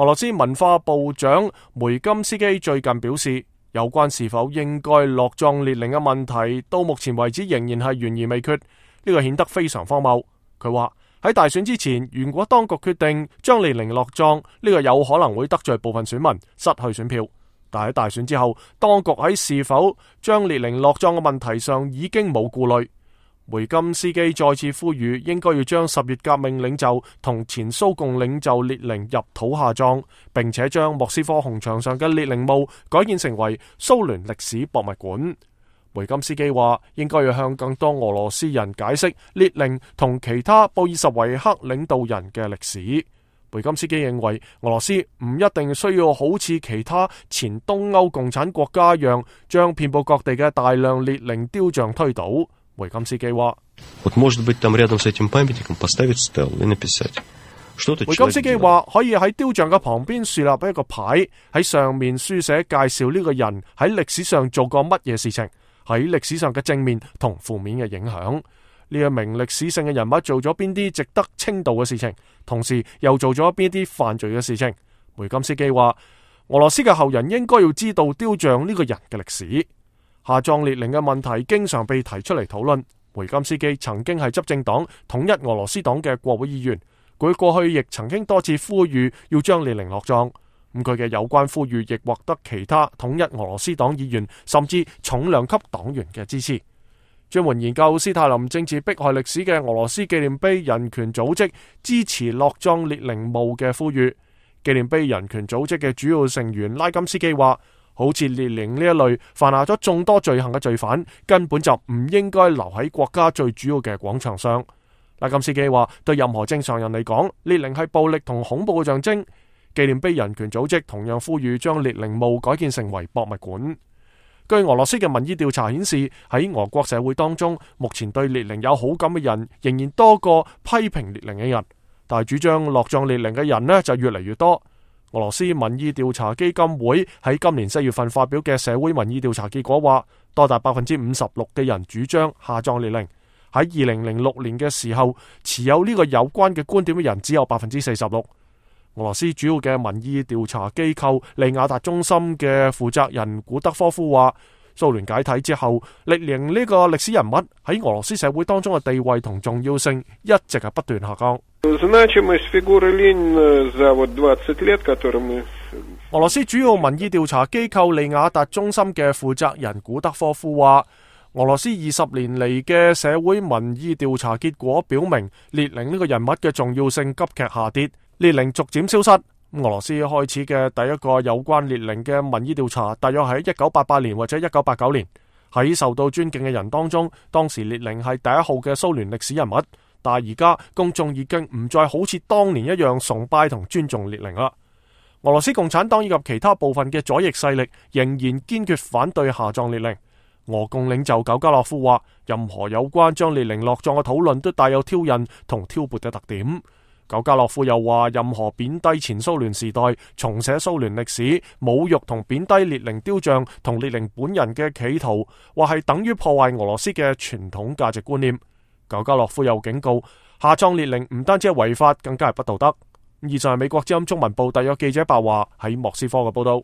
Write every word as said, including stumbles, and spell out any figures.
俄羅斯文化部長梅金斯基最近表示，有關是否應該落葬列寧嘅問題，到目前為止仍然係懸而未決。呢個顯得非常荒謬。佢話喺大選之前，如果當局決定將列寧落葬，呢個有可能會得罪部分選民，失去選票。但喺大選之後，當局喺是否將列寧落葬嘅問題上已經冇顧慮。梅金斯基再次呼籲，應該要將十月革命領袖同前蘇共領袖列寧入土下葬，並且將莫斯科紅場上嘅列寧墓改建成為蘇聯歷史博物館。梅金斯基話，應該要向更多俄羅斯人解釋列寧同其他布爾什維克領導人嘅歷史。梅金斯基認為，俄羅斯唔一定需要好似其他前東歐共產國家一樣，將遍佈各地嘅大量列寧雕像推倒。梅金斯基話，梅金斯基話可以喺雕像嘅旁邊樹立一個牌，喺上面書寫介紹呢個人喺歷史上做過乜嘢事情，喺歷史上嘅正面同負面嘅影響，呢一名歷史性嘅人物做咗邊啲值得稱道嘅事情，同時又做咗邊啲犯罪嘅事情。梅金斯基話，俄羅斯嘅後人應該要知道雕像呢個人嘅歷史。下葬列寧嘅問題經常被提出嚟討論。梅金斯基曾經係執政黨統一俄羅斯黨嘅國會議員，佢過去亦曾經多次呼籲要將列寧落葬。咁佢嘅有關呼籲亦獲得其他統一俄羅斯黨議員甚至重量級黨員嘅支持。專門研究斯大林政治迫害歷史嘅俄羅斯紀念碑人權組織支持落葬列寧墓嘅呼籲。紀念碑人權組織嘅主要成員拉金斯基話，好似列寧呢一類犯下咗眾多罪行嘅罪犯，根本就唔應該留喺國家最主要嘅廣場上。拉金斯基話，對任何正常人嚟講，列寧係暴力同恐怖嘅象徵。紀念碑人權組織同樣呼籲將列寧墓改建成為博物館。據俄羅斯嘅民意調查顯示，喺俄國社會當中，目前對列寧有好感嘅人仍然多過批評列寧嘅人，但係主張落葬列寧嘅人呢就越嚟越多。俄羅斯民意調查基金會喺今年四月份發表嘅社會民意調查結果話，多達百分之五十六嘅人主張下葬列寧。喺二零零六年嘅時候，持有呢個有關嘅觀點嘅人只有百分之四十六。俄羅斯主要嘅民意調查機構利雅達中心嘅負責人古德科夫話，蘇聯解體之後，列寧呢個歷史人物喺俄羅斯社會當中嘅地位同重要性一直係不斷下降。俄羅斯主要民意調查機構利雅達中心嘅負責人古德科夫話，俄羅斯二十年嚟嘅社會民意調查結果表明，列寧呢個人物嘅重要性急劇下跌，列寧逐漸消失。俄羅斯開始嘅第一個有關列寧嘅民意調查，大約喺一九八八年或者一九八九年。喺受到尊敬嘅人當中，當時列寧係第一號嘅蘇聯歷史人物。但係而家公眾已經唔再好似當年一樣崇拜同尊重列寧啦。俄羅斯共產黨以及其他部分嘅左翼勢力仍然堅決反對下葬列寧。俄共領袖苟加洛夫話，任何有關將列寧落葬嘅討論都帶有挑釁同挑撥嘅特點。苟加洛夫又話，任何貶低前蘇聯時代、重寫蘇聯歷史、侮辱同貶低列寧雕像同列寧本人嘅企圖，或係等於破壞俄羅斯嘅傳統價值觀念。苟加洛夫又警告，下葬列寧唔單止係違法，更加係不道德。以上係美國之音中文部特約記者白話喺莫斯科嘅報道。